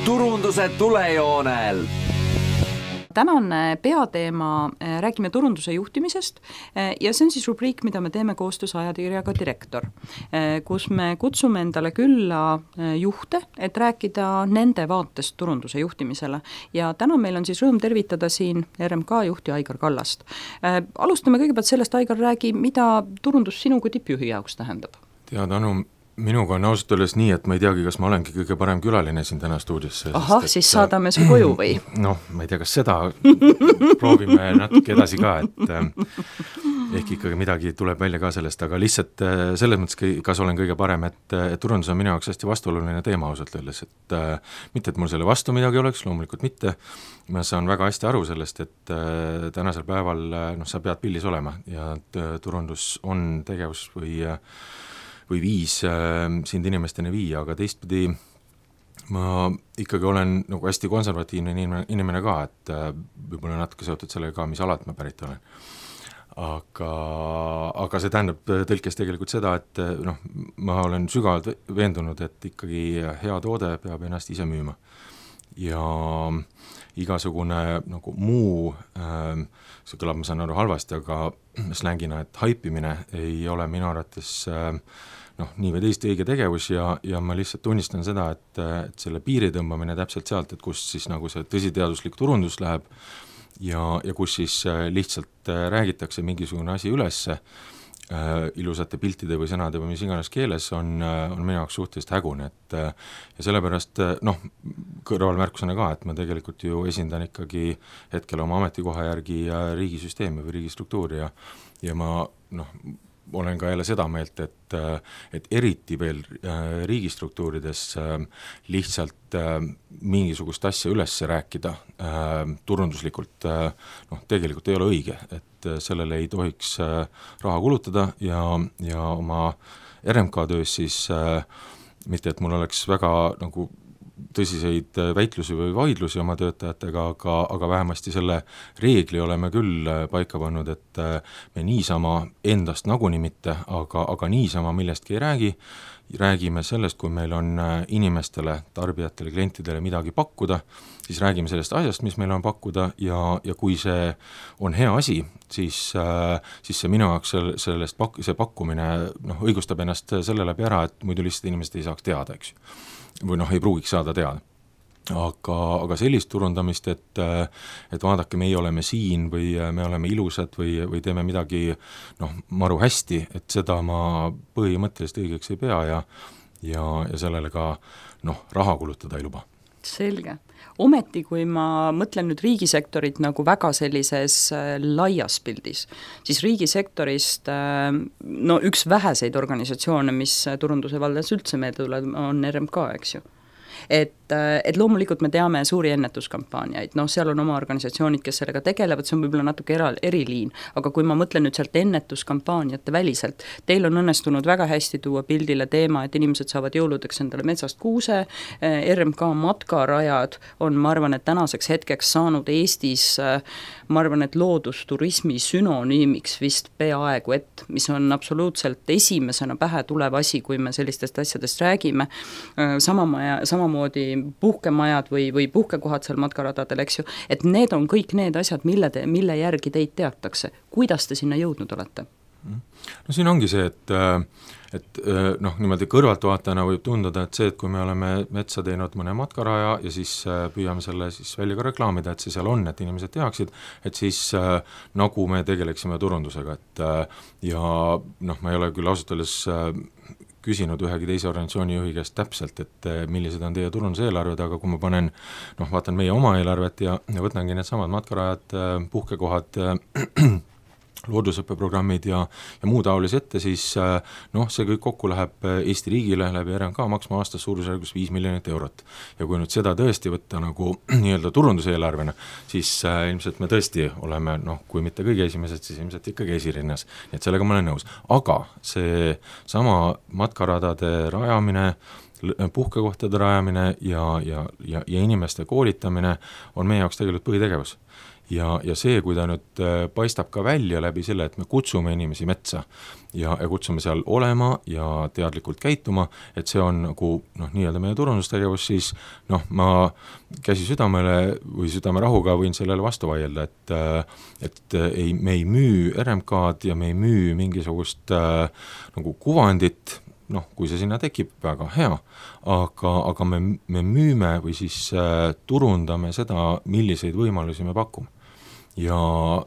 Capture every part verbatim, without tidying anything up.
turunduse tulejoonel. Tänane peateema, räägime turunduse juhtimisest ja see on siis rubriik, mida me teeme koostöös ajakirjaga Direktor, kus me kutsume endale külla juhte, et rääkida nende vaatest turunduse juhtimisele. Ja täna meil on siis rõõm tervitada siin R M K juhti Aigar Kallast. Alustame kõigepealt sellest, Aigar, räägi, mida turundus sinu kui tippjuhi jaoks tähendab? Tead, Anu, minuga on ausalt öeldes nii, et ma ei teagi, kas ma olengi kõige parem külaline siin täna stuudiosse. Ahah, siis saadame su koju või? Noh, ma ei tea, kas seda proovime natuke edasi ka, et ehk ikkagi midagi tuleb välja ka sellest, aga lihtsalt selles mõttes, kas olen kõige parem, et, et turundus on minu jaoks hästi vastuoluline teema ausalt öeldes, et mitte, et mul selle vastu midagi oleks, loomulikult mitte, ma saan väga hästi aru sellest, et tänasel päeval noh, sa pead pildis olema ja turundus on tegevus või või viis äh, sind inimesteni viia, aga teistpidi ma ikkagi olen nagu hästi konservatiivne inimene, inimene ka, et äh, võib-olla natuke seotud sellega ka, mis alalt ma pärit olen. Aga, aga see tähendab tõlkes tegelikult seda, et noh, ma olen sügavalt veendunud, et ikkagi hea toode peab ennast ise müüma. Ja igasugune nagu muu, äh, see kõlab, ma saan aru halvasti, aga slängina, et haipimine ei ole minu arvates äh, noh, nii või teist õige tegevus ja, ja ma lihtsalt tunnistan seda, et, et selle piiri tõmbamine täpselt sealt, et kus siis nagu see tõsiteaduslik turundus läheb ja, ja kus siis lihtsalt räägitakse mingisugune asi ülesse äh, ilusate piltide või sõnade või mis iganes keeles on, on minu jaoks suhteliselt hägune, et ja sellepärast noh, kõrvalmärkusena ka, et ma tegelikult ju esindan ikkagi hetkel oma ametikoha järgi riigisüsteemi või riigistruktuuri ja, ja ma noh, olen ka jälle seda meelt, et, et eriti veel riigistruktuurides lihtsalt mingisugust asja üles rääkida turunduslikult noh, tegelikult ei ole õige, et sellele ei tohiks raha kulutada ja, ja oma R M K töös siis mitte, et mul oleks väga nagu tõsiseid väitlusi või vaidlusi oma töötajatega, aga, aga vähemasti selle reegli oleme küll paika pannud, et me niisama endast nagunii mitte, aga, aga niisama millestki ei räägi, räägime sellest, kui meil on inimestele, tarbijatele, klientidele midagi pakkuda, siis räägime sellest asjast, mis meil on pakkuda ja, ja kui see on hea asi, siis, siis see minu jaoks sellest pak-, see pakkumine noh, õigustab ennast selle läbi ära, et muidu lihtsalt inimesed ei saaks teada, eks ju. Või noh, ei pruugiks saada teada. Aga, aga sellist turundamist, et, et vaadake, meie oleme siin või me oleme ilusad või, või teeme midagi noh, maru hästi, et seda ma põhimõtteliselt õigeks ei pea ja, ja, ja sellele ka noh, raha kulutada ei luba. Selge. Ometi, kui ma mõtlen nüüd riigisektorit nagu väga sellises laias pildis, siis riigisektorist no üks väheseid organisatsioone, mis turunduse valdas üldse meelde tuleb, on R M K, eks ju. Et, et loomulikult me teame suuri ennetuskampaaniaid, noh, seal on oma organisatsioonid, kes sellega tegelevad, see on võib-olla natuke era, eriliin, aga kui ma mõtlen nüüd sealt ennetuskampaaniate väliselt, teil on õnnestunud väga hästi tuua pildile teema, et inimesed saavad jõuludeks endale metsast kuuse, R M K matkarajad on, ma arvan, et tänaseks hetkeks saanud Eestis, ma arvan, et loodusturismi sünonüümiks vist peaaegu et, mis on absoluutselt esimesena pähe tulev asi, kui me sellistest asjadest räägime, sama, sama moodi puhkemajad või, või puhkekohad seal matkaradadel, eks ju, et need on kõik need asjad, mille, te, mille järgi teid teatakse. Kuidas te sinna jõudnud olete? No siin ongi see, et, et noh, niimoodi kõrvaltvaatajana võib tunduda, et see, et kui me oleme metsa teinud mõne matkaraja ja siis püüame selle siis välja ka reklaamida, et see seal on, et inimesed teaksid, et siis nagu me tegeleksime turundusega, et ja noh, ma ei ole küll ausalt öeldes küsinud ühegi teise organisatsiooni juhi käest täpselt, et millised on teie turunduseelarved, aga kui ma panen, noh, vaatan meie oma eelarvet ja, ja võtangi need samad matkarajad, puhkekohad, loodusõppeprogrammid ja, ja muu taolise ette, siis noh, see kõik kokku läheb Eesti riigile läbi R M K maksma aastas suurusjärgus viis miljonit eurot. Ja kui nüüd seda tõesti võtta nagu nii-öelda turunduseelarvena, siis äh, ilmselt me tõesti oleme, noh, kui mitte kõige esimesed, siis ilmselt ikkagi esirinnas. Nii et sellega ma olen nõus. Aga see sama matkaradade rajamine puhkekohtade rajamine ja, ja, ja, ja inimeste koolitamine on meie jaoks tegelikult põhitegevus. Ja, ja see, kui ta nüüd paistab ka välja läbi selle, et me kutsume inimesi metsa ja, ja kutsume seal olema ja teadlikult käituma, et see on nagu noh, nii-öelda meie turundustegevus, siis noh, ma käsi südamele või südamerahuga võin sellele vastu vaielda, et, et ei, me ei müü R M K-d ja me ei müü mingisugust äh, nagu kuvandit, noh, kui see sinna tekib, väga hea, aga, aga me, me müüme või siis äh, turundame seda, milliseid võimalusi me pakume. Ja,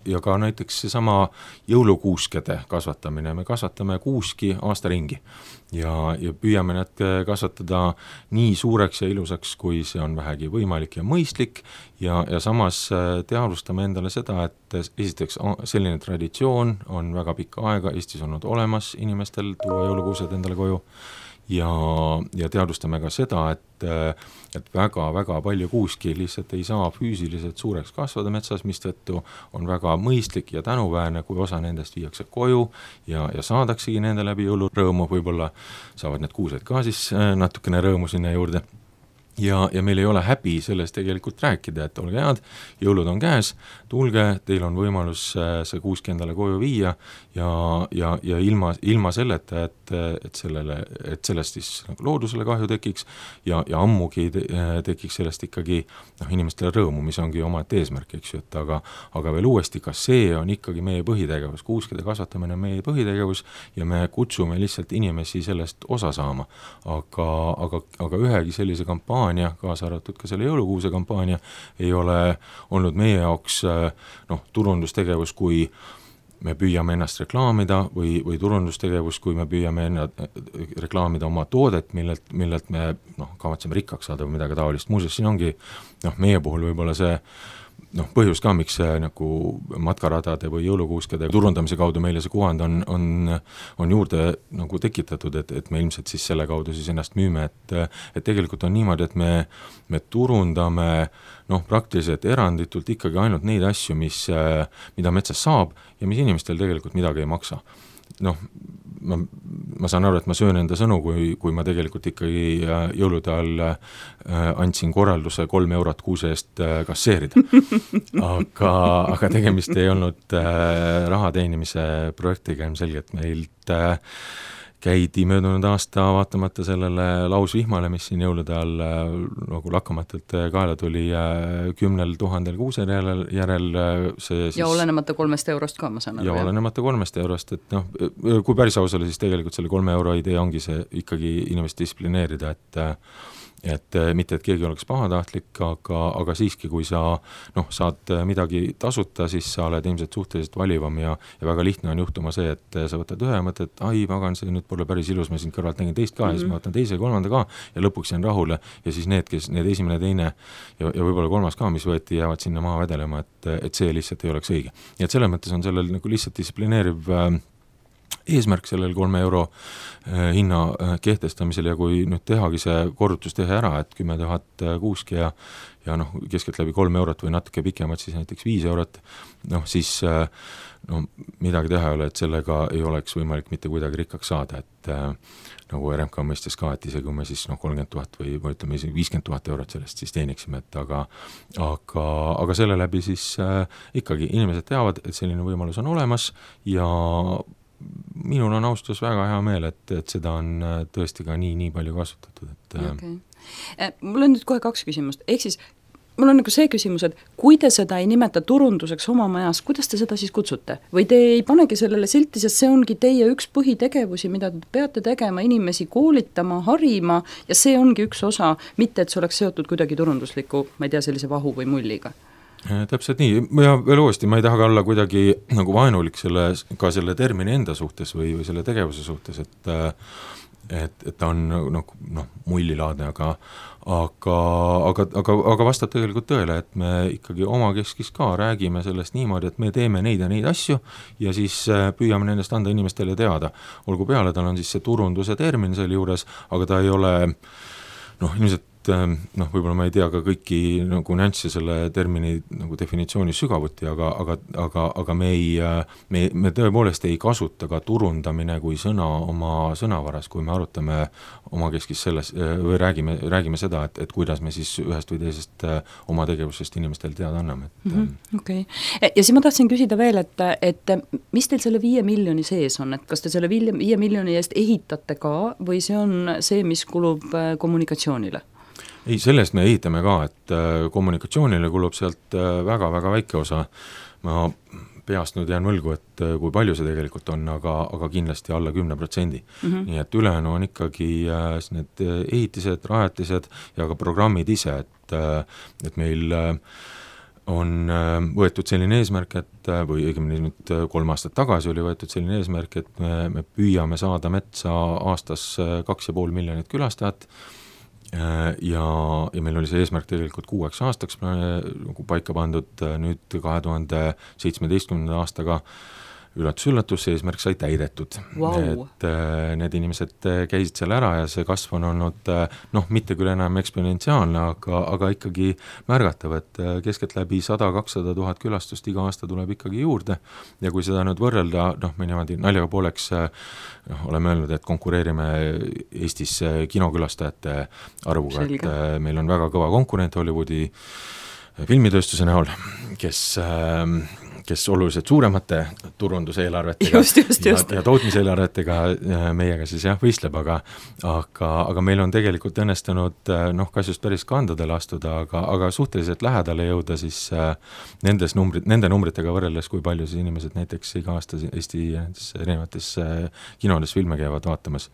ja ka näiteks seesama jõulukuuskede kasvatamine, me kasvatame kuuski aasta ringi ja, ja püüame need kasvatada nii suureks ja ilusaks, kui see on vähegi võimalik ja mõistlik ja, ja samas teadvustame endale seda, et esiteks selline traditsioon on väga pikka aega Eestis olnud olemas inimestel tuua jõulukuused endale koju ja, ja teadvustame ka seda, et, et väga-väga palju kuuski lihtsalt ei saa füüsiliselt suureks kasvada metsas, mistõttu on väga mõistlik ja tänuväärne, kui osa nendest viiakse koju ja, ja saadaksegi nende läbi jõulurõõmu, võib-olla saavad need kuused ka siis natukene rõõmu sinna juurde. Ja, ja meil ei ole häbi sellest tegelikult rääkida, et olge head, jõulud on käes, tulge, teil on võimalus see kuuski endale koju viia ja, ja, ja ilma, ilma selleta, et, et, sellele, et sellest siis nagu loodusele kahju tekiks ja, ja ammugi te, tekiks sellest ikkagi noh, inimestele rõõmu, mis ongi oma eesmärk, eks ju, et aga, aga veel uuesti, ka see on ikkagi meie põhitegevus, kuuskede kasvatamine on meie põhitegevus ja me kutsume lihtsalt inimesi sellest osa saama, aga, aga, aga ühegi sellise kampaania kaasa arvatud ka selle jõulukuuse kampaania ei ole olnud meie jaoks noh, turundustegevus, kui me püüame ennast reklaamida või, või turundustegevus, kui me püüame ennast reklaamida oma toodet, millelt, millelt me noh, kavatseme rikkaks saada või midagi taolist. Muuseas, siin ongi noh, meie puhul võib-olla see noh, põhjus ka, miks see nagu matkaradade või jõulukuuskede turundamise kaudu meile see kuvand on, on, on juurde nagu tekitatud, et, et me ilmselt siis selle kaudu siis ennast müüme, et, et tegelikult on niimoodi, et me, me turundame noh, praktiliselt eranditult ikkagi ainult neid asju, mis, mida metsas saab ja mis inimestel tegelikult midagi ei maksa. Noh, ma, ma saan aru, et ma söön enda sõnu, kui, kui ma tegelikult ikkagi jõulude all andsin korralduse kolm eurot kuuse eest kasseerida. Aga, aga tegemist ei olnud raha teenimise projektiga ilmselgelt meilt käidi möödunud aasta vaatamata sellele lausvihmale, mis siin jõulude all nagu lakkamatult kaela tuli kümnel tuhandel kuusel järel, järel see siis, ja olenemata kolmest eurost ka, ma saan aru. Ja olenemata kolmest eurost, et noh, kui päris aus oli, siis tegelikult selle kolme euro idee ongi see ikkagi inimest distsiplineerida, et et mitte, et keegi oleks pahatahtlik, aga, aga siiski, kui sa noh, saad midagi tasuta, siis sa oled ilmselt suhteliselt valivam ja, ja väga lihtne on juhtuma see, et sa võtad ühe mõtte, et ai, pagan, see nüüd pole päris ilus, ma siin kõrvalt nägin teist ka mm -hmm. ja siis ma võtan teise ja kolmanda ka ja lõpuks jään rahule ja siis need, kes need esimene, teine ja, ja võib-olla kolmas ka, mis võeti, jäävad sinna maha vedelema, et, et see lihtsalt ei oleks õige. Nii et selles mõttes on sellel nagu lihtsalt distsiplineeriv äh, eesmärk sellel kolme euro äh, hinna äh, kehtestamisel ja kui nüüd tehagi see korrutus teha ära, et kümme tuhat kuuski ja, ja noh, keskelt läbi kolm eurot või natuke pikemalt, siis näiteks viis eurot, noh siis äh, no, midagi teha ei ole, et sellega ei oleks võimalik mitte kuidagi rikkaks saada, et äh, nagu R M K mõistes ka, et isegi kui me siis noh, kolmkümmend tuhat või, või ütleme isegi viiskümmend tuhat eurot sellest siis teeniksime, et aga, aga, aga selle läbi siis äh, ikkagi inimesed teavad, et selline võimalus on olemas ja minul on austus väga hea meel, et, et seda on tõesti ka nii, nii palju kasutatud. Et, okay. Mul on nüüd kohe kaks küsimust, ehk siis mul on nagu see küsimus, et kui te seda ei nimeta turunduseks oma majas, kuidas te seda siis kutsute? Või te ei panegi sellele silti, sest see ongi teie üks põhitegevusi, mida te peate tegema, inimesi koolitama, harima ja see ongi üks osa, mitte et see oleks seotud kuidagi turundusliku, ma ei tea, sellise vahu või mulliga. Täpselt nii, ja veel uuesti, ma ei taha ka olla kuidagi nagu vaenulik selle, ka selle termini enda suhtes või, või selle tegevuse suhtes, et et, et ta on noh, noh mullilaadne, aga aga, aga, aga, aga vastab tegelikult tõele, et me ikkagi oma keskis ka räägime sellest niimoodi, et me teeme neid ja neid asju ja siis püüame nendest anda inimestele teada. Olgu peale, tal on siis see turunduse termin selle juures, aga ta ei ole noh, ilmselt noh, võib-olla ma ei tea ka kõiki nagu nüansse selle termini nagu definitsiooni sügavuti, aga, aga, aga, aga me ei, me, me tõepoolest ei kasuta ka turundamine kui sõna oma sõnavaras, kui me arutame omakeskis selles või räägime, räägime seda, et, et kuidas me siis ühest või teisest oma tegevusest inimestel teada anname. Et, mm-hmm, okei. Okay. Ja siis ma tahtsin küsida veel, et, et mis teil selle viie miljoni sees on, et kas te selle viie, viie miljoni eest ehitate ka või see on see, mis kulub kommunikatsioonile? Ei, sellest me ehitame ka, et kommunikatsioonile kulub sealt väga-väga väike osa. Ma peast nüüd jään võlgu, et kui palju see tegelikult on, aga, aga kindlasti alla kümne protsendi. Mm-hmm. Nii et ülejäänu on ikkagi need ehitised, rajatised ja ka programmid ise, et, et meil on võetud selline eesmärk, et või õigemini nüüd kolm aastat tagasi oli võetud selline eesmärk, et me, me püüame saada metsa aastas kaks ja pool miljonit külastajat ja, ja meil oli see eesmärk tegelikult kuueks aastaks nagu paika pandud, nüüd kahe tuhande seitsmeteistkümnenda aastaga üllatus-üllatus, see eesmärk sai täidetud. Wow. Et äh, need inimesed käisid seal ära ja see kasv on olnud äh, noh, mitte küll enam eksponentsiaalne, aga, aga ikkagi märgatav, et äh, keskeltläbi sada kakssada tuhat külastust iga aasta tuleb ikkagi juurde ja kui seda nüüd võrrelda, noh, me niimoodi naljaga pooleks äh, noh, oleme öelnud, et konkureerime Eestis äh, kinokülastajate arvuga, Selge. et äh, meil on väga kõva konkurent Hollywoodi filmitööstuse näol, kes äh, kes oluliselt suuremate turunduseelarvetega just, just, just. ja, ja tootmiseelarvetega meiega siis jah võistleb, aga, aga, aga meil on tegelikult õnnestunud noh, kas just päris kandadele astuda, aga, aga suhteliselt lähedale jõuda siis nendes numbrid, nende numbritega võrreldes, kui palju siis inimesed näiteks iga aasta Eesti erinevates kinodes filme käivad vaatamas.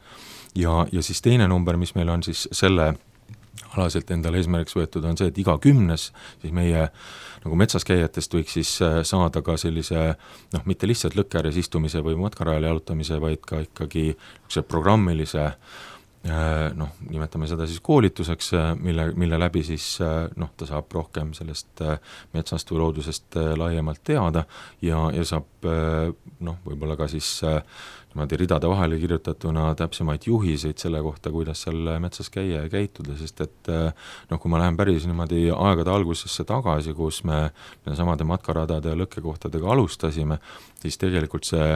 Ja, ja siis teine number, mis meil on siis selle alaselt endale eesmärgiks võetud, on see, et iga kümnes siis meie nagu metsas käijatest võiks siis saada ka sellise noh, mitte lihtsalt lõkkeääres istumise või matkarajal jalutamise, vaid ka ikkagi programmilise noh, nimetame seda siis koolituseks, mille, mille läbi siis noh, ta saab rohkem sellest metsast või loodusest laiemalt teada ja, ja saab noh, võib-olla ka siis niimoodi ridade vahele kirjutatuna täpsemaid juhiseid selle kohta, kuidas seal metsas käia ja käituda, sest et noh, kui ma lähen päris niimoodi aegade algusesse tagasi, kus me samade matkaradade ja lõkkekohtadega alustasime, siis tegelikult see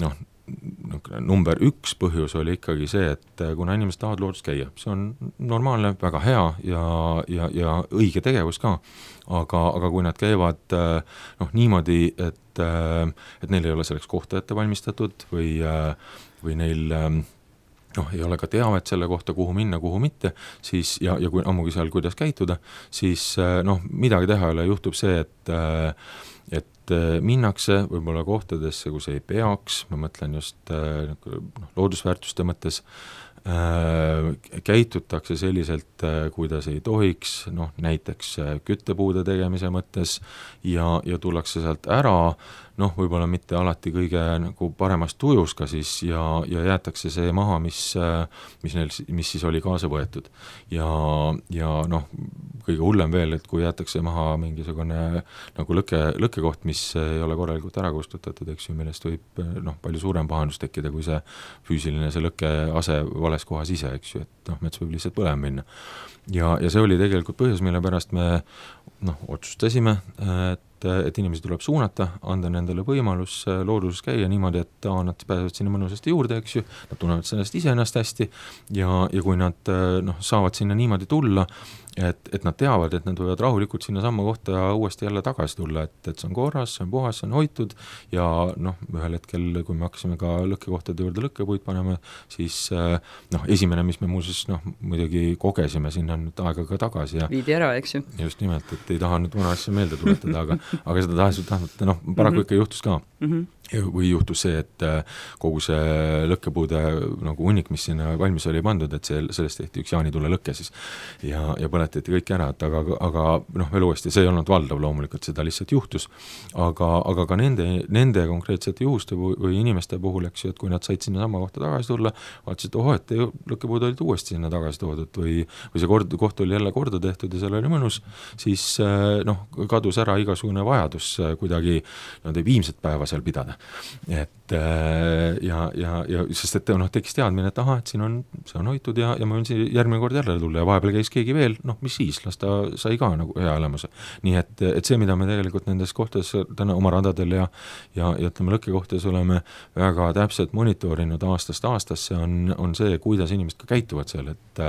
noh, number üks põhjus oli ikkagi see, et kuna inimesed tahavad loodus käia, see on normaalne, väga hea ja, ja, ja õige tegevus ka, aga, aga kui nad käivad noh, niimoodi, et, et neil ei ole selleks kohta ette valmistatud või, või neil noh, ei ole ka teavet selle kohta, kuhu minna, kuhu mitte, siis ja, ja kui ammugi seal, kuidas käituda, siis noh, midagi teha ei ole, juhtub see, et et minnakse võib-olla kohtadesse, kus ei peaks, ma mõtlen just noh, loodusväärtuste mõttes, käitutakse selliselt, kuidas ei tohiks, noh, näiteks küttepuude tegemise mõttes ja, ja tullakse sealt ära, noh, võib-olla mitte alati kõige nagu paremas tujus ka siis ja, ja jäetakse see maha, mis, mis, neil, mis siis oli kaasa võetud. Ja, ja noh, kõige hullem veel, et kui jäetakse maha mingisugune nagu lõke, lõkkekoht, mis ei ole korralikult ära kustutatud, eks ju, millest võib noh, palju suurem pahandus tekkida, kui see füüsiline see lõkke ase vales kohas ise, eks ju, et noh, mets võib lihtsalt põlema minna. Ja, ja see oli tegelikult põhjus, mille pärast me noh, otsustasime, et et inimesi tuleb suunata, anda nendele võimalus looduses käia niimoodi, et ta, nad pääsevad sinna mõnusasti juurde, eks ju, nad tunnevad sellest ise ennast hästi ja, ja kui nad noh, saavad sinna niimoodi tulla, et, et nad teavad, et nad võivad rahulikult sinna samma kohta uuesti jälle tagasi tulla, et, et see on korras, see on puhas, see on hoitud ja noh, ühel hetkel, kui me hakkasime ka lõkkekohtade juurde lõkkepuid panema, siis noh, esimene, mis me muuseas noh, muidugi kogesime sinna nüüd aega ka tagasi ja viidi ära, eks ju. Just nimelt, et ei taha nüüd vana asja meelde tuletada, aga, aga seda tahes, tahes, noh, paraku mm -hmm. ikka juhtus ka. Mm -hmm. või juhtus see, et kogu see lõkkepuude nagu hunnik, mis sinna valmis oli pandud, et see, sellest tehti üks jaanitule lõkke siis ja, ja põletati kõik ära, et aga, aga noh, veel uuesti, see ei olnud valdav loomulikult, seda lihtsalt juhtus, aga, aga ka nende, nende konkreetsete juhuste või, või inimeste puhul, eks ju, et kui nad said sinna sama kohta tagasi tulla, vaatasid, oho, et lõkkepuud olid uuesti sinna tagasi toodud või, või see kord, koht oli jälle korda tehtud ja seal oli mõnus, siis noh, kadus ära igasugune mingisugune vajadus kuidagi no, viimset päeva seal pidada. Et ja, ja, ja sest et noh, tekkis teadmine, et aha, et siin on, see on hoitud ja, ja ma võin siin järgmine kord jälle tulla ja vahepeal käis keegi veel, noh, mis siis, las ta sai ka nagu hea elamuse. Nii et, et see, mida me tegelikult nendes kohtades täna oma radadel ja, ja, ja ütleme lõkkekohtades oleme väga täpselt monitoorinud aastast aastasse, on, on see, kuidas inimesed ka käituvad seal, et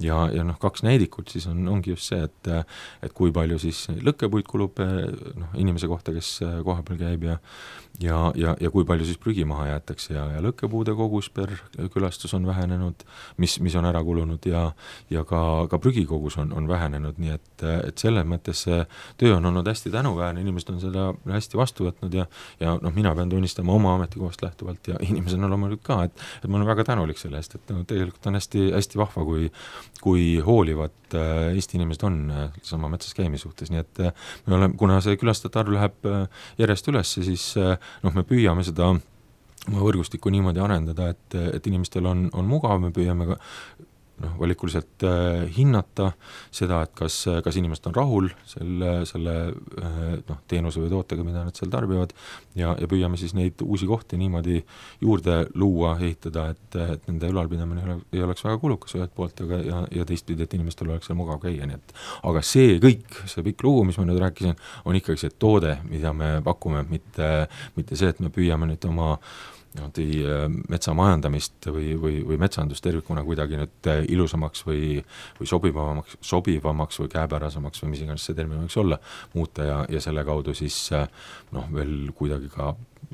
ja, ja noh, kaks näidikut siis on, ongi just see, et, et kui palju siis lõkkepuid kulub noh, inimese kohta, kes koha peal käib ja ja, ja, ja kui palju siis prügi maha jäetakse ja, ja lõkkepuude kogus per külastus on vähenenud, mis, mis on ära kulunud ja, ja ka, ka prügikogus on, on vähenenud, nii et, et selles mõttes see töö on olnud hästi tänuväärne, inimesed on seda hästi vastu võtnud ja, ja noh, mina pean tunnistama oma ametikohast lähtuvalt ja inimesed on loomulikult ka, et, et ma olen väga tänulik selle eest, et no, tegelikult on hästi, hästi vahva, kui, kui hoolivad Eesti inimesed on sama metsas käimise suhtes, nii et me oleme, kuna see külastajate arv läheb järjest üles, siis noh, me püüame seda oma võrgustikku niimoodi arendada, et, et inimestel on, on mugav, me püüame ka noh, valikuliselt äh, hinnata seda, et kas, kas inimesed on rahul selle, selle äh, noh, teenuse või tootega, mida nad seal tarbivad ja, ja püüame siis neid uusi kohti niimoodi juurde luua, ehitada, et, et nende ülalpidamine ei, ole, ei oleks väga kulukas ühelt poolt aga, ja, ja teistpidi, et inimestel oleks seal mugav käia, nii et aga see kõik, see pikk lugu, mis ma nüüd rääkisin, on ikkagi see toode, mida me pakume, mitte, mitte see, et me püüame nüüd oma metsa majandamist või, või, või metsandust tervikuna kuidagi nüüd ilusamaks või, või sobivamaks, sobivamaks või käepärasemaks või mis iganes see termin võiks olla, muuta ja, ja selle kaudu siis noh, veel kuidagi ka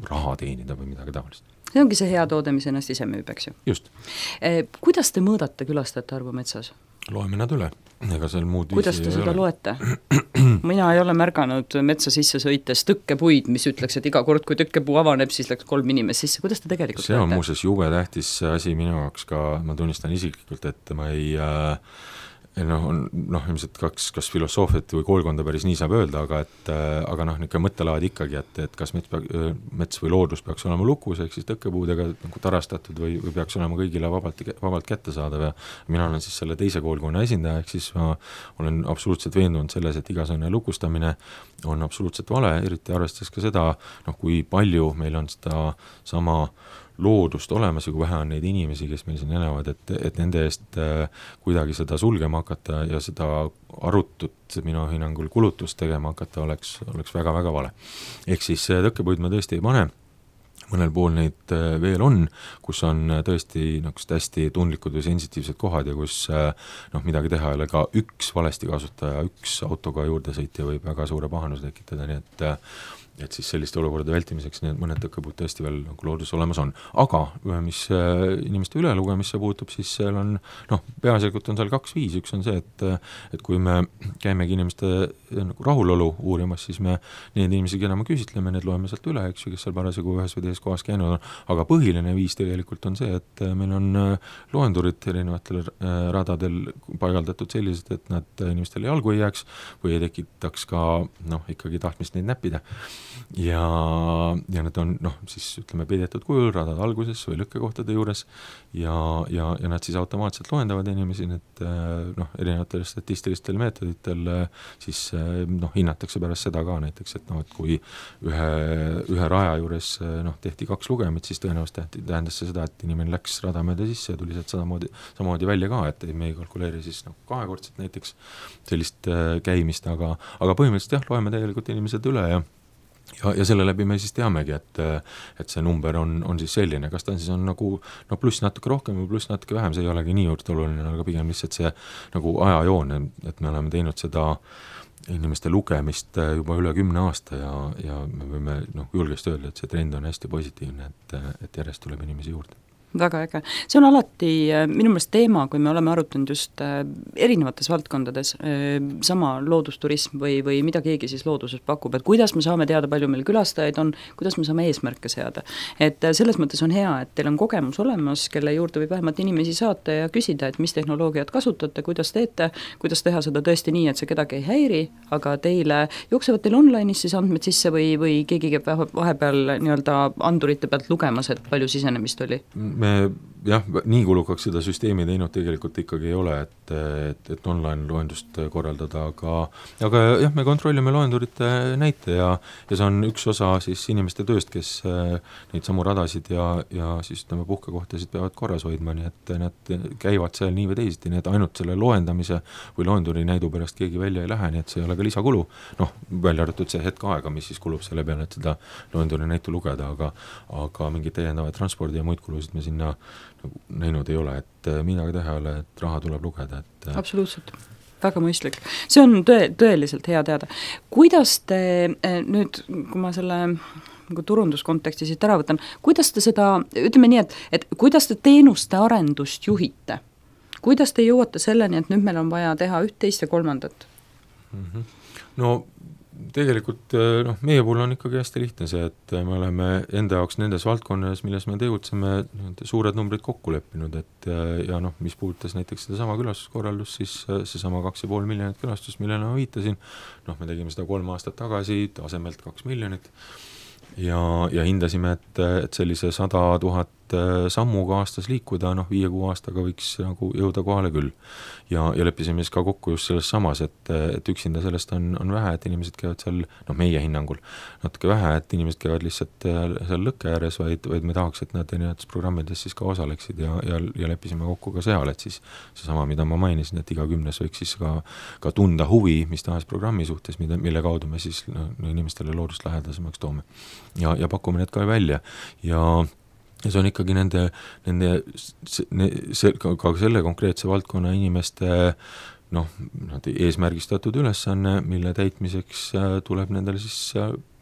raha teenida või midagi taolist. See ongi see hea toode, mis ennast ise müüb, eks ju? Just. Eh, kuidas te mõõdate külastajate arvu metsas? Loeme nad üle. Ega seal muud kuidas te seda ole? Loete? Mina ei ole märganud metsa sisse sõites tõkkepuid, mis ütleks, et iga kord, kui tõkkepuu avaneb, siis läks kolm inimest sisse. Kuidas te tegelikult see on loete? muuseas jube tähtis asi minu jaoks ka, ma tunnistan isiklikult, et ma ei äh, noh, on noh, ilmselt kaks, kas filosoofiat või koolkonda päris nii saab öelda, aga et aga noh, niisugune mõttelaad ikkagi, et, et kas mets, mets või loodus peaks olema lukus, ehk siis tõkkepuudega nagu tarastatud või, või peaks olema kõigile vabalt, vabalt kättesaadav ja mina olen siis selle teise koolkonna esindaja, ehk siis ma olen absoluutselt veendunud selles, et igasugune lukustamine on absoluutselt vale, eriti arvestades ka seda, noh, kui palju meil on seda sama loodust olemas ja kui vähe on neid inimesi, kes meil siin elavad, et, et nende eest äh, kuidagi seda sulgema hakata ja seda arutut minu hinnangul kulutust tegema hakata oleks, oleks väga-väga vale. Ehk siis tõkkepuid me tõesti ei pane, mõnel pool neid veel on, kus on tõesti nagu hästi tundlikud või sensitiivsed kohad ja kus noh, midagi teha ei ole, ka üks valesti kasutaja, üks autoga juurde sõitja võib väga suure pahanuse tekitada, nii et et siis selliste olukorrade vältimiseks need mõned tõkkepuud tõesti veel nagu loodus olemas on. Aga mis inimeste ülelugemisse puutub, siis seal on, noh, peaasjalikult on seal kaks viisi, üks on see, et, et kui me käimegi inimeste nagu rahulolu uurimas, siis me need inimesi, keda me küsitleme, need loeme sealt üle, eks ju, kes seal parasjagu ühes või teises kohas käinud on, aga põhiline viis tegelikult on see, et meil on loendurid erinevatel radadel paigaldatud sellised, et nad inimestele jalgu ei jääks või ei tekitaks ka, noh, ikkagi tahtmist neid näppida. Ja, ja need on noh, siis ütleme peidetud kujul radad alguses või lõkkekohtade juures ja, ja, ja nad siis automaatselt loendavad inimesi, need noh, erinevatel statistilistel meetoditel siis noh, hinnatakse pärast seda ka näiteks, et noh, et kui ühe, ühe raja juures noh, tehti kaks lugemit, siis tõenäoliselt tähendas see seda, et inimene läks rada mööda sisse ja tuli sealt samamoodi, samamoodi välja ka, et me ei kalkuleeri siis noh, kahekordselt näiteks sellist käimist, aga, aga põhimõtteliselt jah, loeme tegelikult inimesed üle ja Ja, ja selle läbi me siis teamegi, et, et see number on, on siis selline, kas ta on siis on nagu no pluss natuke rohkem või pluss natuke vähem, see ei olegi nii juurde oluline, aga pigem lihtsalt see nagu ajajoon, et me oleme teinud seda inimeste lugemist juba üle kümne aasta ja, ja me võime noh, julgesti öelda, et see trend on hästi positiivne, et, et järjest tuleb inimesi juurde. Väga äge. See on alati minu meelest teema, kui me oleme arutanud just erinevates valdkondades sama loodusturism või, või mida keegi siis looduses pakub, et kuidas me saame teada, palju meil külastajaid on, kuidas me saame eesmärke seada. Et selles mõttes on hea, et teil on kogemus olemas, kelle juurde võib vähemalt inimesi saata ja küsida, et mis tehnoloogiat kasutate, kuidas teete, kuidas teha seda tõesti nii, et see kedagi ei häiri, aga teile jooksevad teil online'is siis andmed sisse või, või keegi käib vahepeal nii-öelda andurite pealt lugemas, et palju sisenemist oli? Me jah, nii kulukaks seda süsteemi teinud tegelikult ikkagi ei ole, et, et, et online loendust korraldada, aga aga jah, me kontrollime loendurite näite ja, ja see on üks osa siis inimeste tööst, kes neid samu radasid ja, ja siis ütleme puhkekohtasid peavad korras hoidma, nii et nad käivad seal nii või teisiti, nii et ainult selle loendamise või loenduri näidu pärast keegi välja ei lähe, nii et see ei ole ka lisakulu, noh, välja arvatud see hetk aega, mis siis kulub selle peale, et seda loenduri näitu lugeda, aga aga mingid täiendavad transpordi ja muid kulusid me sinna nagu näinud ei ole, et midagi teha ei ole, et raha tuleb lugeda, et absoluutselt, väga mõistlik. See on tõe, tõeliselt hea teada. Kuidas te nüüd, kui ma selle nagu turunduskonteksti siit ära võtan, kuidas te seda, ütleme nii, et, et kuidas te teenuste arendust juhite? Kuidas te jõuate selleni, et nüüd meil on vaja teha üht, teist ja kolmandat? Mm-hmm. No tegelikult noh, meie puhul on ikkagi hästi lihtne see, et me oleme enda jaoks nendes valdkonnas, milles me tegutseme, suured numbrid kokku leppinud, et ja noh, mis puudutas näiteks seda sama külastuskorraldust, siis see sama kaks ja pool miljonit külastust, millele ma viitasin, noh, me tegime seda kolm aastat tagasi, tasemelt kaks miljonit ja, ja hindasime, et, et sellise sada tuhat sammuga aastas liikuda, noh, viie kuu aastaga võiks nagu jõuda kohale küll. Ja, ja leppisime siis ka kokku just selles samas, et, et üksinda sellest on, on vähe, et inimesed käivad seal, noh, meie hinnangul natuke vähe, et inimesed käivad lihtsalt seal lõkke ääres, vaid, vaid me tahaks, et nad erinevates programmides siis ka osaleksid ja, ja, ja leppisime kokku ka seal, et siis seesama, mida ma mainisin, et iga kümnes võiks siis ka, ka tunda huvi, mis tahes programmi suhtes, mida, mille kaudu me siis no, inimestele loodust lähedasemaks toome ja, ja pakume need ka välja ja ja see on ikkagi nende, nende see, ka, ka selle konkreetse valdkonna inimeste noh, eesmärgistatud ülesanne, mille täitmiseks tuleb nendele siis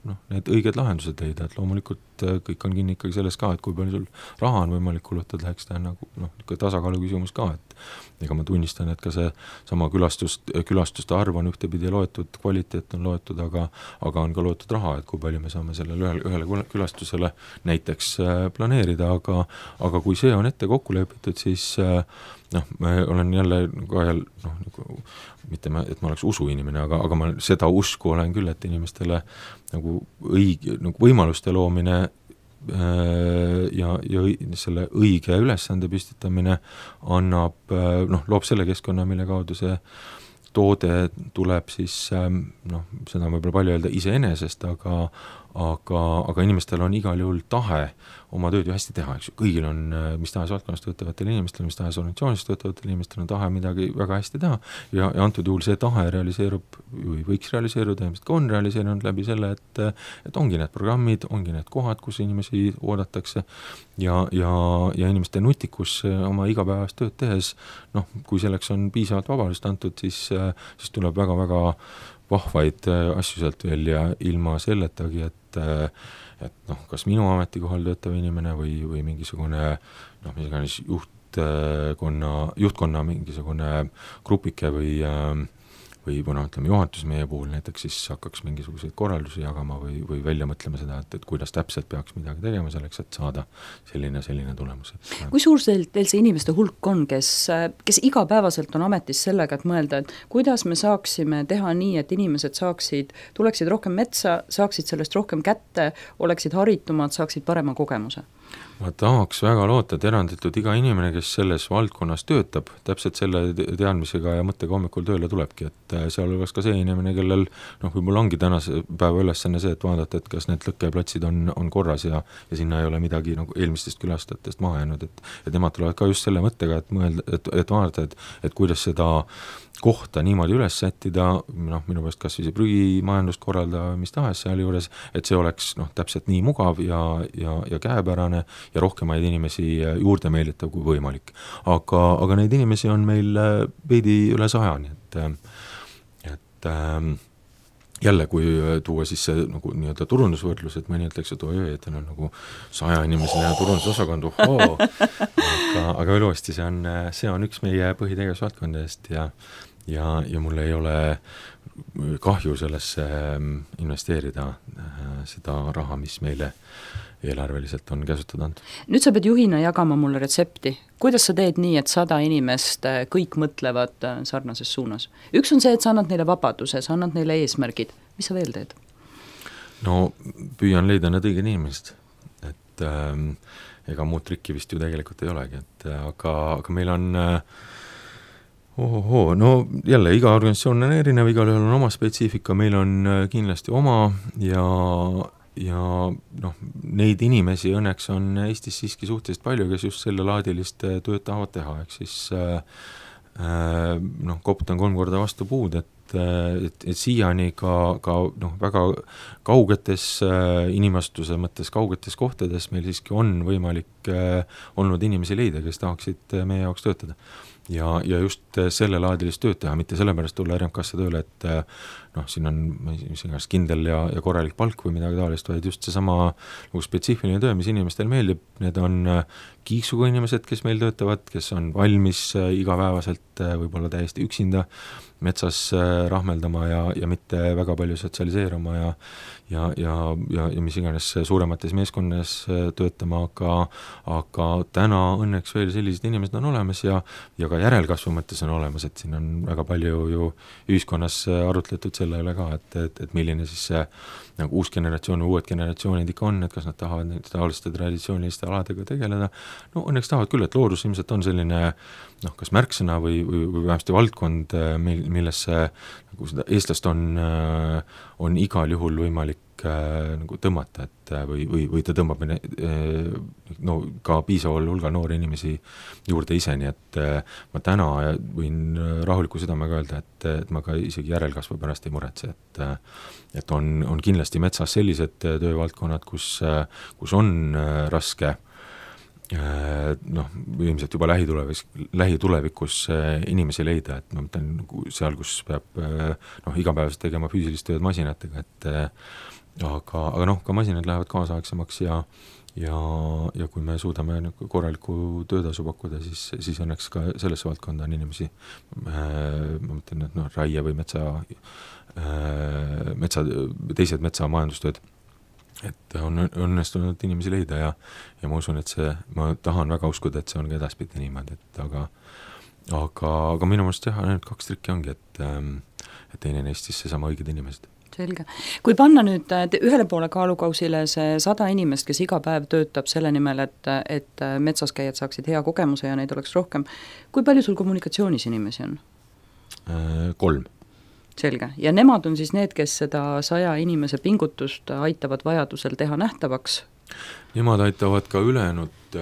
noh, need õiged lahendused leida, et loomulikult kõik on kinni ikkagi selles ka, et kui palju sul raha on võimalik kulutada, eks ta on nagu noh, tasakaalu küsimus ka, et ega ma tunnistan, et ka see sama külastust, külastuste arv on ühtepidi loetud, kvaliteet on loetud, aga, aga on ka loetud raha, et kui palju me saame sellele ühele, ühele külastusele näiteks planeerida, aga, aga kui see on ette kokku lepitud, siis noh, ma olen jälle ka jälle noh, nagu, mitte ma, et ma oleks usuinimene, aga, aga ma seda usku olen küll, et inimestele nagu õige, nagu võimaluste loomine ja, ja selle õige ülesande püstitamine annab, noh, loob selle keskkonna, mille kaudu see toode tuleb siis, noh, seda on võib-olla palju öelda iseenesest, aga, aga, aga inimestel on igal juhul tahe oma tööd ju hästi teha, eks ju, kõigil on, mis tahes valdkonnas töötavatel inimestel, mis tahes organisatsioonis töötavatel inimestel on tahe midagi väga hästi teha ja, ja antud juhul see tahe realiseerub või võiks realiseeruda, ilmselt ka on realiseerunud läbi selle, et, et ongi need programmid, ongi need kohad, kus inimesi oodatakse ja, ja, ja inimeste nutikus oma igapäevast tööd tehes, noh, kui selleks on piisavalt vabadust antud, siis, siis tuleb väga-väga vahvaid asju sealt veel ja ilma selletagi, et et noh, kas minu ametikohal töötav inimene või, või mingisugune noh, mis iganes juhtkonna, juhtkonna mingisugune grupike või või noh, ütleme juhatus meie puhul näiteks siis hakkaks mingisuguseid korraldusi jagama või, või välja mõtlema seda, et, et kuidas täpselt peaks midagi tegema selleks, et saada selline, selline tulemus. Kui suur teil see inimeste hulk on, kes, kes igapäevaselt on ametis sellega, et mõelda, et kuidas me saaksime teha nii, et inimesed saaksid, tuleksid rohkem metsa, saaksid sellest rohkem kätte, oleksid haritumad, saaksid parema kogemuse? Ma tahaks väga loota, et eranditult iga inimene, kes selles valdkonnas töötab, täpselt selle teadmisega ja mõttega hommikul tööle tulebki, et seal oleks ka see inimene, kellel noh, võib-olla ongi tänase päeva ülesanne see, et vaadata, et kas need lõkkeplatsid on, on korras ja, ja sinna ei ole midagi nagu eelmistest külastajatest maha jäänud, et, et nemad tulevad ka just selle mõttega, et mõelda, et, et vaadata, et, et kuidas seda kohta niimoodi üles sättida, noh, minu pärast kas või see prügimajandust korralda mis tahes seal juures, et see oleks noh, täpselt nii mugav ja, ja, ja käepärane ja rohkemaid inimesi juurde meelitav kui võimalik. Aga, aga neid inimesi on meil veidi üle saja, nii et, et ähm, jälle, kui tuua siis see nagu nii-öelda turundusvõrdlus, et mõni ütleks, et oi, et on nagu saja inimesena turundusosakond, ohoo, aga, aga veel uuesti, see on, see on üks meie põhitegevusvaldkondadest ja ja, ja mul ei ole kahju sellesse investeerida seda raha, mis meile eelarveliselt on käsutada antud. Nüüd sa pead juhina jagama mulle retsepti. Kuidas sa teed nii, et sada inimest kõik mõtlevad sarnases suunas? Üks on see, et sa annad neile vabaduse, sa annad neile eesmärgid. Mis sa veel teed? No püüan leida need õiged inimesed. Et, ega muud trikki vist ju tegelikult ei olegi, et aga, aga meil on ohohoo, no jälle, iga organisatsioon on erinev, igal ühel on oma spetsiifika, meil on kindlasti oma ja, ja noh, neid inimesi õnneks on Eestis siiski suhteliselt palju, kes just selle laadilist tööd tahavad teha, ehk siis äh, noh, koputan kolm korda vastu puud, et et, et siiani ka, ka noh, väga kaugetes äh, inimastuse mõttes kaugetes kohtades meil siiski on võimalik äh, olnud inimesi leida, kes tahaksid meie jaoks töötada. Ja, ja just selle laadilist tööd teha, mitte sellepärast tulla R M K-sse tööle, et noh, siin on mis iganes kindel ja, ja korralik palk või midagi taolist, vaid just seesama nagu spetsiifiline töö, mis inimestel meeldib, need on kiiksuga inimesed, kes meil töötavad, kes on valmis igapäevaselt võib-olla täiesti üksinda metsas rahmeldama ja, ja mitte väga palju sotsialiseeruma ja, ja, ja, ja, ja mis iganes suuremates meeskonnas töötama, aga, aga täna õnneks veel sellised inimesed on olemas ja, ja ka järelkasvu mõttes on olemas, et siin on väga palju ju ühiskonnas arutletud selle üle ka, et, et, et milline siis see nagu uus generatsioon või uued generatsioonid ikka on, et kas nad tahavad neid taoliste traditsiooniliste aladega tegeleda. No õnneks tahavad küll, et loodus ilmselt on selline noh, kas märksõna või, või, või vähemasti valdkond, millesse nagu seda eestlast on, on igal juhul võimalik nagu tõmmata, et või, või, või ta tõmbab no, ka piisaval hulgal noori inimesi juurde ise, nii et ma täna võin rahuliku südamega öelda, et, et ma ka isegi järelkasvu pärast ei muretse, et, et on, on kindlasti metsas sellised töövaldkonnad, kus, kus on raske noh, ilmselt juba lähitulevikus, lähitulevikus inimesi leida, et ma mõtlen seal, kus peab noh, igapäevaselt tegema füüsilist tööd masinatega, et aga, aga noh, ka masinad lähevad kaasaegsemaks ja ja, ja kui me suudame nagu korraliku töötasu pakkuda, siis, siis õnneks ka sellesse valdkonda on inimesi ma mõtlen, et noh, raie või metsa metsa, teised metsamajandustööd, et on õnnestunud inimesi leida ja, ja ma usun, et see, ma tahan väga uskuda, et see on ka edaspidi niimoodi, et aga aga, aga minu mõttes jah, ainult kaks trikki ongi, et, et teine neist siis seesama õiged inimesed. Selge. Kui panna nüüd ühele poole kaalukausile see sada inimest, kes iga päev töötab selle nimel, et, et metsas käijad saaksid hea kogemuse ja neid oleks rohkem, kui palju sul kommunikatsioonis inimesi on? Kolm. Selge. Ja nemad on siis need, kes seda saja inimese pingutust aitavad vajadusel teha nähtavaks? Nemad aitavad ka ülejäänud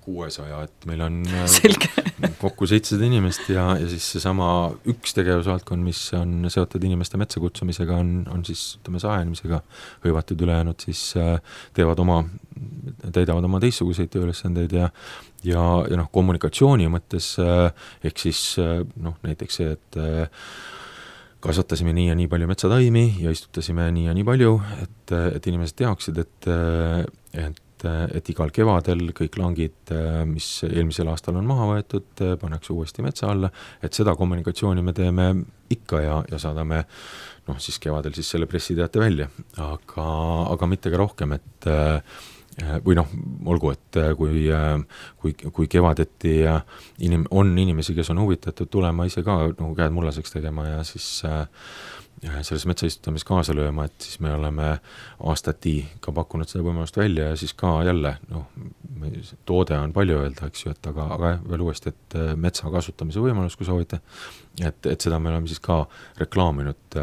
kuuesaja, et meil on Selge. kokku seitsesada inimest ja, ja siis seesama üks tegevusvaldkond, mis on seotud inimeste metsa kutsumisega, on, on siis ütleme saja inimesega hõivatud, ülejäänud siis teevad oma, täidavad oma teistsuguseid tööülesandeid ja ja, ja noh, kommunikatsiooni mõttes ehk siis noh, näiteks see, et kasvatasime nii ja nii palju metsataimi ja istutasime nii ja nii palju, et, et inimesed teaksid, et, et, et igal kevadel kõik langid, mis eelmisel aastal on maha võetud, pannakse uuesti metsa alla, et seda kommunikatsiooni me teeme ikka ja, ja saadame noh, siis kevadel siis selle pressiteate välja, aga, aga mitte ka rohkem, et või noh, olgu, et kui, kui, kui kevadeti inim, on inimesi, kes on huvitatud tulema ise ka nagu käed mullaseks tegema ja siis selles metsaistutamis kaasa lööma, et siis me oleme aastati ka pakkunud seda võimalust välja ja siis ka jälle, noh, toode on palju öelda, eks ju, et aga, aga veel uuesti, et metsa kasutamise võimalus, kui soovite, et, et seda me oleme siis ka reklaaminud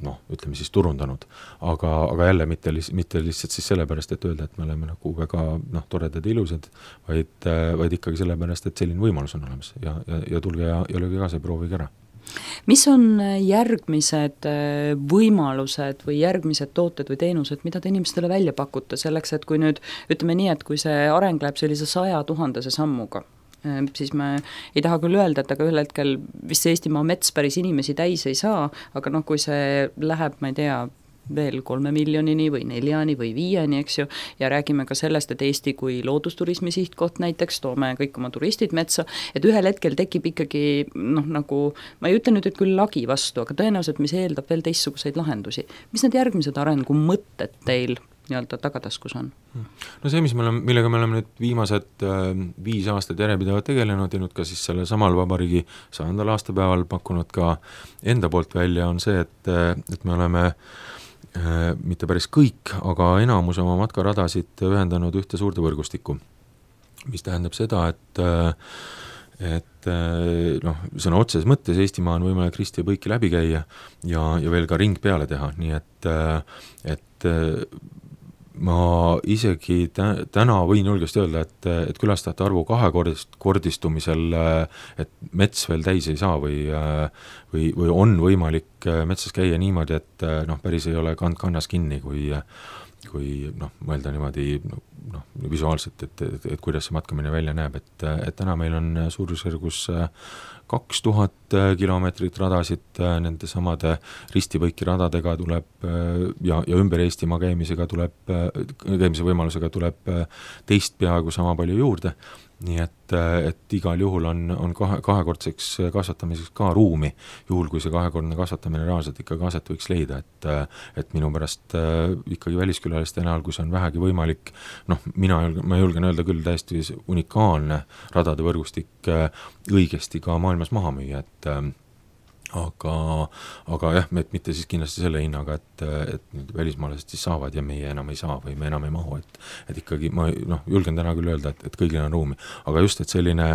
noh, ütleme siis turundanud, aga, aga jälle mitte, mitte lihtsalt siis sellepärast, et öelda, et me oleme nagu väga noh, toredad ja ilusad, vaid, vaid ikkagi sellepärast, et selline võimalus on olemas ja, ja, ja tulge ja, ja lööge kaasa ja proovige ära. Mis on järgmised võimalused või järgmised tooted või teenused, mida te inimestele välja pakute selleks, et kui nüüd ütleme nii, et kui see areng läheb sellise saja tuhandese sammuga, siis me ei taha küll öelda, et aga ühel hetkel vist see Eestimaa mets päris inimesi täis ei saa, aga noh, kui see läheb, ma ei tea, veel kolme miljonini või neljani või viieni, eks ju, ja räägime ka sellest, et Eesti kui loodusturismi sihtkoht näiteks, toome kõik oma turistid metsa, et ühel hetkel tekib ikkagi noh, nagu, ma ei ütle nüüd, et küll lagi vastu, aga tõenäoliselt, mis eeldab veel teistsuguseid lahendusi. Mis need järgmised arengu mõtted teil nii-öelda tagataskus on? No see, mis me oleme, millega me oleme nüüd viimased äh, viis aastat järjepidevalt tegelenud ja nüüd ka siis selle samal vabariigi sajandal aastapäeval pakkunud ka enda poolt välja, on see, et, et me oleme mitte päris kõik, aga enamus oma matkaradasid ühendanud ühte suurde võrgustikku, mis tähendab seda, et et noh, sõna otseses mõttes Eestimaa on võimalik risti ja põiki läbi käia ja, ja veel ka ring peale teha, nii et, et ma isegi tä- täna võin julgesti öelda, et, et külastajate arvu kahekordist, kordistumisel, et mets veel täis ei saa või, või, või on võimalik metsas käia niimoodi, et noh, päris ei ole kand kannas kinni, kui kui noh, mõelda niimoodi noh, visuaalselt, et, et, et kuidas see matkamine välja näeb, et, et täna meil on suurusjärgus kaks tuhat kilomeetrit radasid, nende samade ristipõiki radadega tuleb ja, ja ümber Eestimaa käimisega tuleb, käimise võimalusega tuleb teist peaaegu sama palju juurde, nii et, et igal juhul on, on kahe, kahekordseks kasvatamiseks ka ruumi, juhul kui see kahekordne kasvatamine reaalselt ikkagi aset võiks leida, et, et minu pärast ikkagi väliskülaliste näol, kui see on vähegi võimalik, noh, mina julgen, ma julgen öelda küll täiesti unikaalne radade võrgustik õigesti ka maailmas maha müüa, et aga, aga jah, et mitte siis kindlasti selle hinnaga, et, et nüüd välismaalased siis saavad ja meie enam ei saa või me enam ei mahu, et, et ikkagi ma noh, julgen täna küll öelda, et, et kõigil on ruumi, aga just, et selline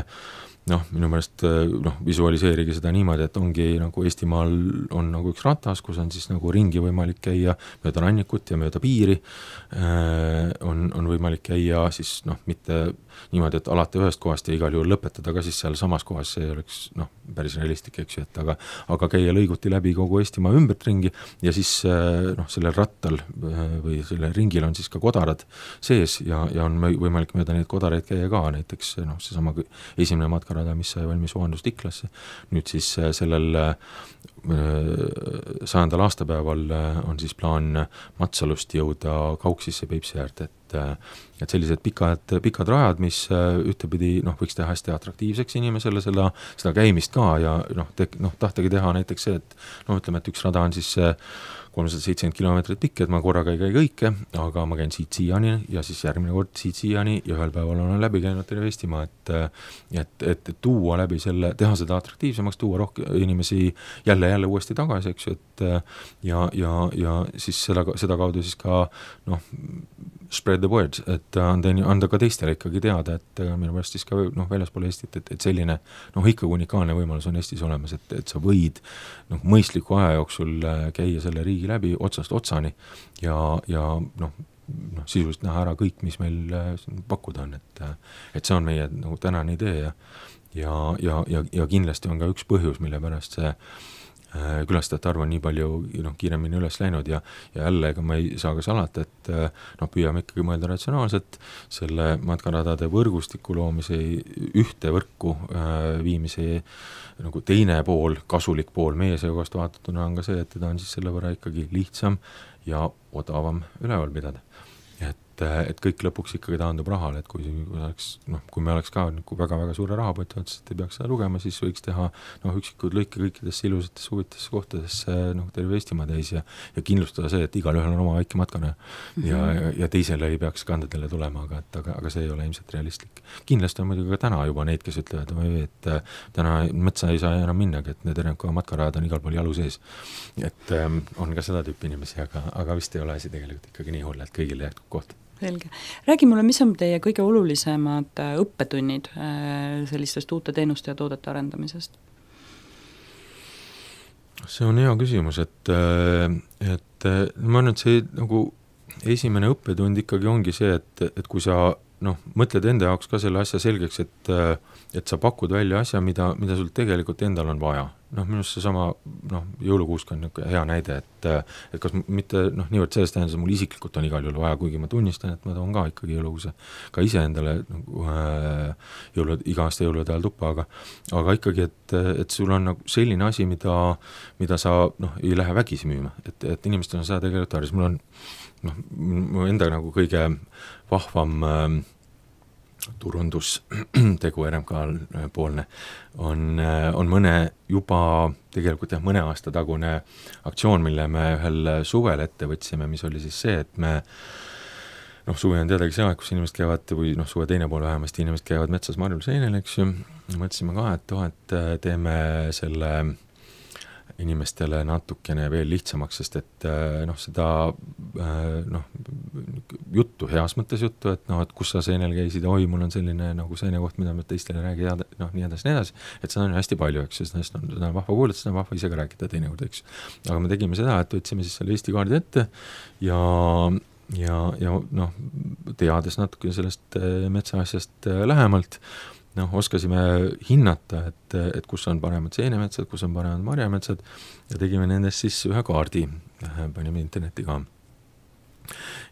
noh, minu meelest noh, visualiseerigi seda niimoodi, et ongi nagu Eestimaal on nagu üks ratas, kus on siis nagu ringi võimalik käia mööda rannikut ja mööda piiri, on, on võimalik käia siis noh, mitte niimoodi, et alati ühest kohast ja igal juhul lõpetada ka siis seal samas kohas, see oleks noh, päris realistlik, eks ju, et aga, aga käia lõiguti läbi kogu Eestimaa ümbert ringi ja siis noh, sellel rattal või sellel ringil on siis ka kodarad sees ja, ja on võimalik mööda neid kodaraid käia ka, näiteks noh, seesama esimene matka rada, mis sai valmis Voandust Iklasse. Nüüd siis sellel sajandal aastapäeval on siis plaan Matsalust jõuda Kauksisse Peipsi äärde, et, et sellised pikad, pikad rajad, mis ühtepidi noh, võiks teha hästi atraktiivseks inimesele seda, seda käimist ka ja noh, te, noh, tahtagi teha näiteks see, et noh, ütleme, et üks rada on siis kolmsada seitsekümmend kilomeetrit pikk, et ma korraga ei käi kõike, aga ma käin siit siiani ja siis järgmine kord siit siiani ja ühel päeval olen läbi käinud terve Eestimaa, et, et, et, et tuua läbi selle, teha seda atraktiivsemaks, tuua rohkem inimesi jälle, jälle uuesti tagasi, eks ju, et ja, ja, ja siis seda, seda kaudu siis ka noh, spread the word, et anda, anda ka teistele ikkagi teada, et minu pärast siis ka noh, väljaspool Eestit, et, et selline noh, ikkagi unikaalne võimalus on Eestis olemas, et, et sa võid noh, mõistliku aja jooksul käia selle riigi läbi otsast otsani ja, ja noh, noh, sisuliselt näha ära kõik, mis meil pakkuda on, et, et see on meie nagu tänane idee ja, ja, ja, ja, ja kindlasti on ka üks põhjus, mille pärast see külastajate arv on nii palju noh, kiiremini üles läinud ja, ja jälle ega ma ei saa ka salata, et noh, püüame ikkagi mõelda ratsionaalselt selle matkaradade võrgustiku loomise ühte võrku äh, viimise nagu teine pool, kasulik pool meie seekast vaatatuna on ka see, et teda on siis selle võrra ikkagi lihtsam ja odavam üleval pidada. Et, et kõik lõpuks ikkagi taandub rahale, et kui, kui, oleks, noh, kui me oleks ka nagu väga-väga suure rahapoti otsast, et ei peaks seda lugema, siis võiks teha noh, üksikud lõike kõikidesse ilusatesse huvitesse kohtadesse noh, terve Eestimaa täis ja, ja kindlustada see, et igal ühel on oma väike matkane mm-hmm. ja, ja, ja teisele ei peaks kandadele tulema, aga, et, aga, aga see ei ole ilmselt realistlik. Kindlasti on muidugi ka täna juba neid, kes ütlevad, et täna metsa ei saa enam minnagi, et need R M K matkarajad on igal pool jalu sees. Et ähm, on ka seda tüüpi inimesi, aga, aga vist ei ole asi tegelikult ikkagi nii hull, et kõigile jätkub koht. Selge. Räägi mulle, mis on teie kõige olulisemad õppetunnid sellistest uute teenuste ja toodete arendamisest? See on hea küsimus, et, et ma arvan, et see nagu esimene õppetund ikkagi ongi see, et, et kui sa noh, mõtled enda jaoks ka selle asja selgeks, et, et sa pakud välja asja, mida, mida sul tegelikult endal on vaja. Noh, minust see sama noh, jõulukuusk on hea näide, et, et kas mitte noh, niivõrd sellest tähendab, mul isiklikult on igal juhul vaja, kuigi ma tunnistan, et ma toon ka ikkagi jõulukuuse ka ise endale nagu, jõulu, iga aasta jõulude ajal tuppa, aga, aga ikkagi, et, et sul on nagu selline asi, mida, mida sa noh, ei lähe vägisi müüma, et, et inimestel on seda tegelikult tarvis, mul on noh, mu enda nagu kõige vahvam äh, turundustegu R M K poolne on, on mõne juba tegelikult jah, mõne aasta tagune aktsioon, mille me ühel suvel ette võtsime, mis oli siis see, et me noh, suvi on teadagi see aeg, kus inimesed käivad või noh, suve teine pool vähemasti inimesed käivad metsas marjul seinel, eks ju, mõtlesime ka, et oh, et teeme selle inimestele natukene veel lihtsamaks, sest et noh, seda noh, juttu, heas mõttes juttu, et noh, et kus sa seenel käisid, oi, mul on selline nagu seene koht, mida ma teistele räägi, noh, nii edasi, nii edasi, et seda on hästi palju, eks, sest on, seda on vahva kuulata, seda on vahva ise ka rääkida teinekord, eks. aga me tegime seda, et võtsime siis selle Eesti kaardi ette ja ja, ja noh, teades natuke sellest metsaasjast lähemalt, noh, oskasime hinnata, et, et kus on paremad seenemetsad, kus on paremad marjametsad ja tegime nendest siis ühe kaardi, panime internetti ka.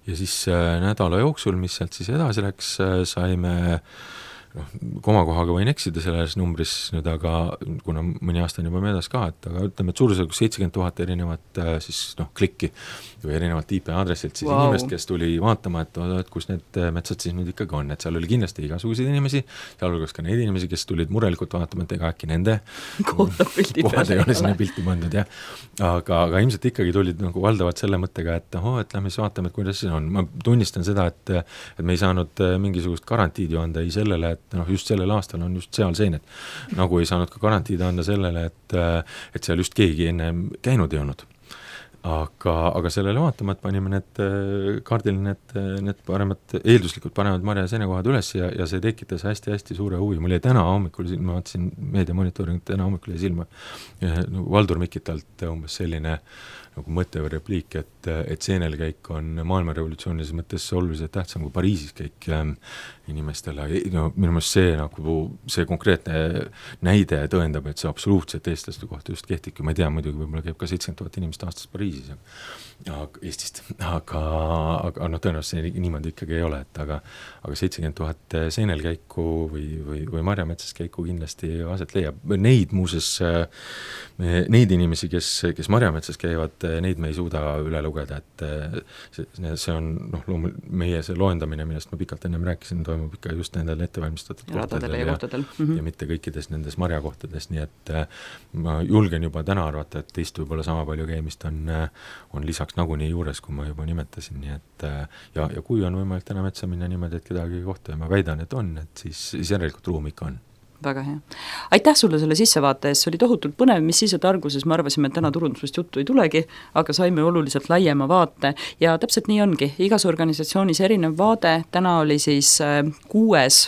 Ja siis nädala jooksul, mis sealt siis edasi läks, saime noh, komakohaga võin eksida selles numbris nüüd, aga kuna mõni aasta on juba möödas ka, et aga ütleme, et suurusjärgus seitsekümmend tuhat erinevat siis noh, klikki või erinevat I P aadressilt siis wow. inimest, kes tuli vaatama, et, et kus need metsad siis nüüd ikkagi on, et seal oli kindlasti igasuguseid inimesi, sealhulgas ka neid inimesi, kes tulid murelikult vaatama, et ega äkki nende kohad ei ole sinna pilti pandud, jah. Aga, aga ilmselt ikkagi tulid nagu valdavalt selle mõttega, et oh, et lähme siis vaatame, et kuidas see on. Ma tunnistan seda, et, et me ei saanud mingisugust garantiidi anda ei sellele, et noh, just sellel aastal on just seal seened. Nagu ei saanud ka garantiida anda sellele, et, et seal just keegi enne käinud ei olnud. Aga, aga sellele vaatama, et panime need kaardil need, need paremad, eelduslikult paremad marja- ja seenekohad üles ja, ja see tekitas hästi-hästi suure huvi. Mul jäi täna hommikul, ma vaatasin meediamonitoringut, täna hommikul jäi silma no, Valdur Mikitalt umbes selline nagu mõte või repliik, et, et seenelkäik on maailmarevolutsioonilises mõttes oluliselt tähtsam kui Pariisis käik inimestele. No, minu meelest see, nagu, see konkreetne näide tõendab, et see absoluutselt eestlaste kohta just kehtibki. Ma ei tea, muidugi võib-olla käib ka seitsekümmend tuhat inimest aastas Pariisis ja, ja Eestist, aga, aga no, tõenäoliselt see niimoodi ikkagi ei ole, et aga, aga seitsekümmend tuhat seenelkäiku või, või, või marjametsas käiku kindlasti aset leiab. Neid muuses, neid inimesi, kes, kes marjametsas käivad, neid me ei suuda üle lugeda, et see, see on noh, loomul, meie see loendamine, millest ma pikalt ennem rääkisin, toimub ikka just nendel ettevalmistatud kohtadel ja, ja, mm-hmm. ja mitte kõikides nendes marjakohtades, nii et ma julgen juba täna arvata, et teist võib-olla sama palju käimist on, on lisaks nagunii juures, kui ma juba nimetasin, nii et ja, ja kui on võimalik täna metsa minna niimoodi, et kedagi kohta ja ma väidan, et on, et siis, siis järelikult ruum ikka on. Väga hea. Aitäh sulle selle sissevaate eest, see oli tohutult põnev, mis siis, et arguses me arvasime, et täna turundusest juttu ei tulegi, aga saime oluliselt laiema vaate ja täpselt nii ongi, igas organisatsioonis erinev vaade, täna oli siis kuues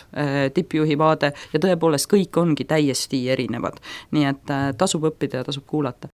tippjuhi vaade ja tõepoolest kõik ongi täiesti erinevad, nii et tasub õppida ja tasub kuulata.